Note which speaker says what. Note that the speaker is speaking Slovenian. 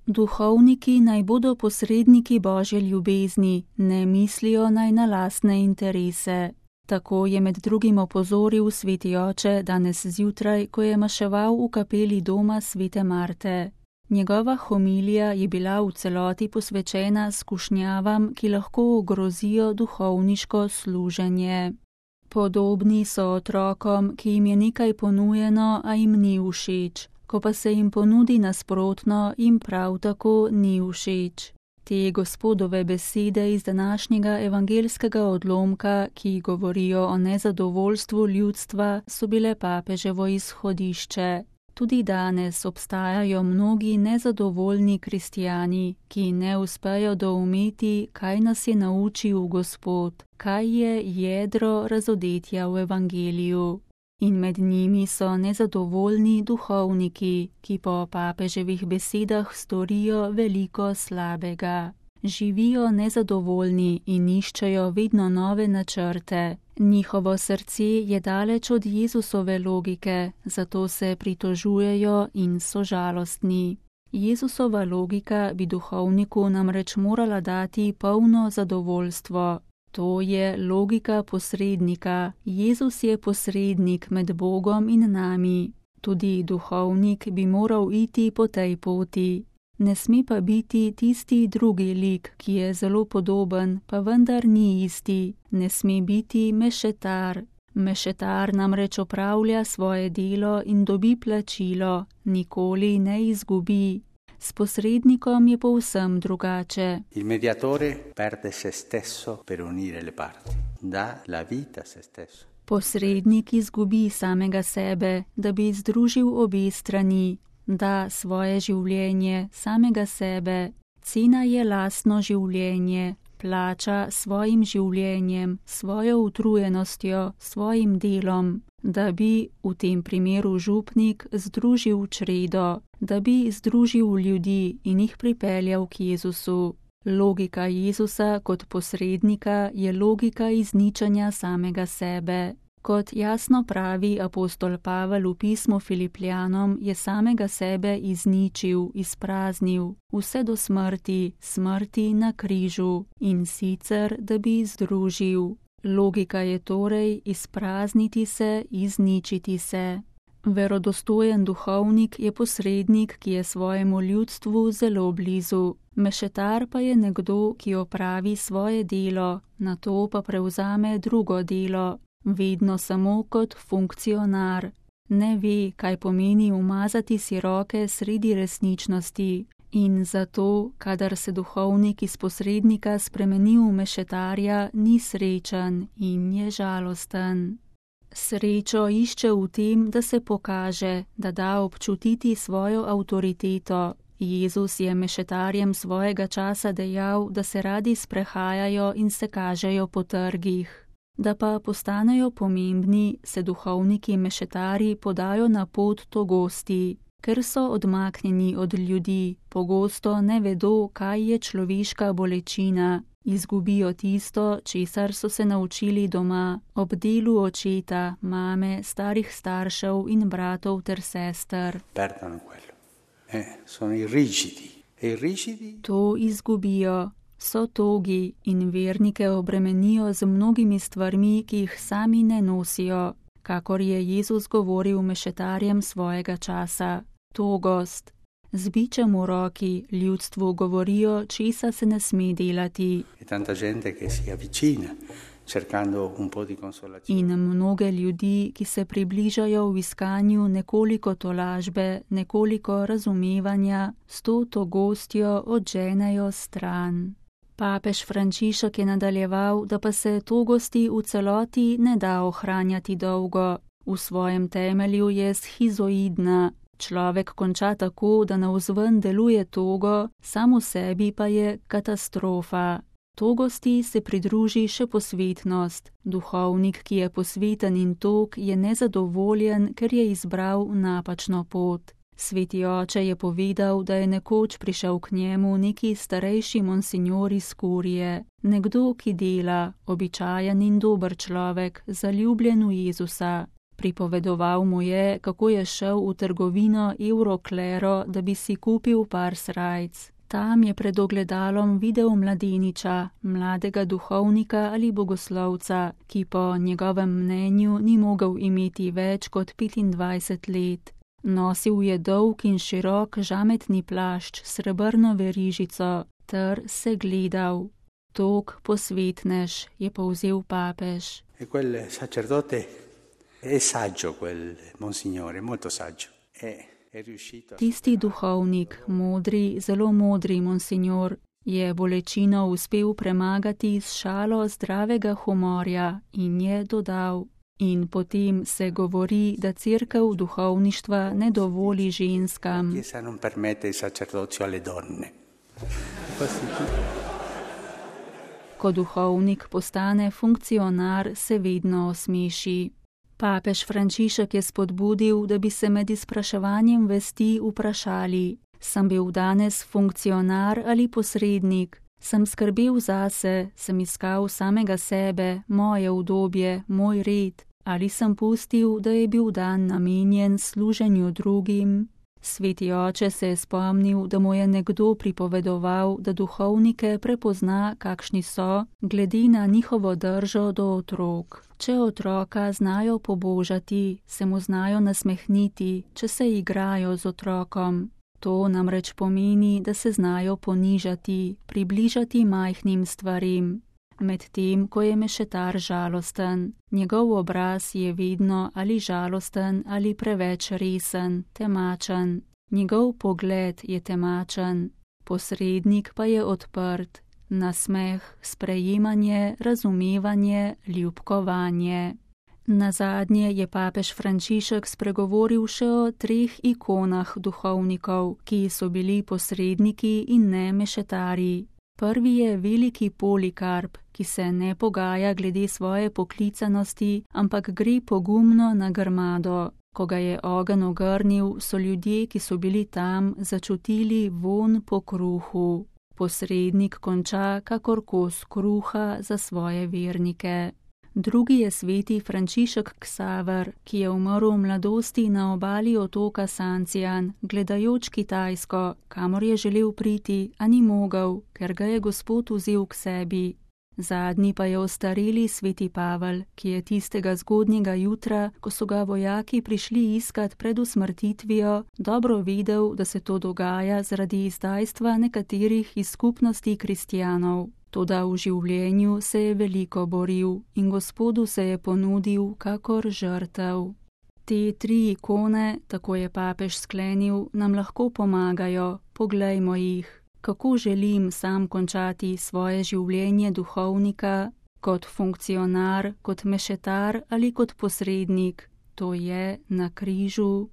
Speaker 1: Duhovniki naj bodo posredniki Božje ljubezni, ne mislijo naj na lastne interese. Tako je med drugim opozoril sveti oče danes zjutraj, ko je maševal v kapeli doma svete Marte. Njegova homilija je bila v celoti posvečena skušnjavam, ki lahko ogrozijo duhovniško služenje. Podobni so otrokom, ki jim je nekaj ponujeno, a jim ni všeč. Ko pa se jim ponudi nasprotno, jim prav tako ni všeč. Te Gospodove besede iz današnjega evangelskega odlomka, ki govorijo o nezadovoljstvu ljudstva, so bile papeževo izhodišče. Tudi danes obstajajo mnogi nezadovoljni kristjani, ki ne uspejo doumeti, kaj nas je naučil Gospod, kaj je jedro razodetja v evangeliju. In med njimi so nezadovoljni duhovniki, ki po papeževih besedah storijo veliko slabega. Živijo nezadovoljni in iščejo vedno nove načrte. Njihovo srce je daleč od Jezusove logike, zato se pritožujejo in so žalostni. Jezusova logika bi duhovniku namreč morala dati polno zadovoljstvo. To je logika posrednika. Jezus je posrednik med Bogom in nami. Tudi duhovnik bi moral iti po tej poti. Ne sme pa biti tisti drugi lik, ki je zelo podoben, pa vendar ni isti. Ne sme biti mešetar. Mešetar namreč opravlja svoje delo in dobi plačilo, nikoli ne izgubi. S posrednikom je povsem drugače.
Speaker 2: Il mediatore perde se stesso per unire le parti. Da la vita se stesso.
Speaker 1: Posrednik izgubi samega sebe, da bi združil obe strani. Da svoje življenje, samega sebe. Cena je lastno življenje. Plača svojim življenjem, svojo utrujenostjo, svojim delom. Da bi, v tem primeru župnik, združil čredo, da bi združil ljudi in jih pripeljal k Jezusu. Logika Jezusa kot posrednika je logika izničenja samega sebe. Kot jasno pravi apostol Pavel v pismu Filipljanom, je samega sebe izničil, izpraznil, vse do smrti, smrti na križu, in sicer, da bi združil. Logika je torej izprazniti se, izničiti se. Verodostojen duhovnik je posrednik, ki je svojemu ljudstvu zelo blizu. Mešetar pa je nekdo, ki opravi svoje delo, nato pa prevzame drugo delo, vedno samo kot funkcionar. Ne ve, kaj pomeni umazati si roke sredi resničnosti. In zato, kadar se duhovnik iz posrednika spremeni v mešetarja, ni srečen in je žalosten. Srečo išče v tem, da se pokaže, da da občutiti svojo avtoriteto. Jezus je mešetarjem svojega časa dejal, da se radi sprehajajo in se kažejo po trgih. Da pa postanejo pomembni, se duhovniki mešetari podajo na pot togosti. Ker so odmaknjeni od ljudi, pogosto ne vedo, kaj je človeška bolečina, izgubijo tisto, česar so se naučili doma, ob delu očeta, mame, starih staršev in bratov ter sester. To izgubijo, so togi in vernike obremenijo z mnogimi stvarmi, ki jih sami ne nosijo, kakor je Jezus govoril mešetarjem svojega časa. Togost. Z bičem v roki ljudstvu govorijo, česa se ne sme delati. In mnoge ljudi, ki se približajo v iskanju nekoliko tolažbe, nekoliko razumevanja, s to togostjo odženejo stran. Papež Frančišek je nadaljeval, da pa se togosti v celoti ne da ohranjati dolgo. V svojem temelju je schizoidna. Človek konča tako, da navzven deluje togo, sam v sebi pa je katastrofa. Togosti se pridruži še posvetnost. Duhovnik, ki je posveten in tog, je nezadovoljen, ker je izbral napačno pot. Sveti oče je povedal, da je nekoč prišel k njemu neki starejši monsinjor iz kurije, nekdo, ki dela, običajen in dober človek, zaljubljen v Jezusa. Pripovedoval mu je, kako je šel v trgovino Euroklero, da bi si kupil par srajc. Tam je pred ogledalom videl mladeniča, mladega duhovnika ali bogoslovca, ki po njegovem mnenju ni mogel imeti več kot 25 let. Nosil je dolg in širok žametni plašč s srebrno verižico ter se gledal. Tok posvetnež, je povzel papež.
Speaker 2: E quel sacerdote è saggio, quel monsignore, molto saggio.
Speaker 1: Tisti duhovnik, modri, zelo modri monsignor, je bolečino uspel premagati s šalo zdravega humorja in je dodal. In potem se govori, da cerkev duhovništva ne dovoli ženskam. Ko duhovnik postane funkcionar, se vedno osmeši. Papež Frančišek je spodbudil, da bi se med izpraševanjem vesti vprašali: sem bil danes funkcionar ali posrednik? Sem skrbel zase, sem iskal samega sebe, moje udobje, moj red? Ali sem pustil, da je bil dan namenjen služenju drugim? Sveti oče se je spomnil, da mu je nekdo pripovedoval, da duhovnike prepozna, kakšni so, glede na njihovo držo do otrok. Če otroka znajo pobožati, se mu znajo nasmehniti, če se igrajo z otrokom. To namreč pomeni, da se znajo ponižati, približati majhnim stvarim. Medtem, ko je mešetar žalosten, njegov obraz je vedno ali žalosten ali preveč resen, temačen. Njegov pogled je temačen, posrednik pa je odprt, nasmeh, sprejemanje, razumevanje, ljubkovanje. Nazadnje je papež Frančišek spregovoril še o 3 ikonah duhovnikov, ki so bili posredniki in ne mešetari. Prvi je veliki Polikarp, ki se ne pogaja glede svoje poklicanosti, ampak gre pogumno na grmado. Ko ga je ogenj ogrnil, so ljudje, ki so bili tam, začutili vonj po kruhu. Posrednik konča kakor kos kruha za svoje vernike. Drugi je sveti Frančišek Ksaver, ki je umrl v mladosti na obali otoka Sancijan, gledajoč Kitajsko, kamor je želel priti, a ni mogel, ker ga je Gospod vzel k sebi. Zadnji pa je ostareli sveti Pavel, ki je tistega zgodnjega jutra, ko so ga vojaki prišli iskat pred usmrtitvijo, dobro vedel, da se to dogaja zaradi izdajstva nekaterih iz skupnosti kristjanov. Toda v življenju se je veliko boril in Gospodu se je ponudil kakor žrtev. Te 3 ikone, tako je papež sklenil, nam lahko pomagajo, poglejmo jih. Kako želim sam končati svoje življenje duhovnika, kot funkcionar, kot mešetar ali kot posrednik, to je na križu.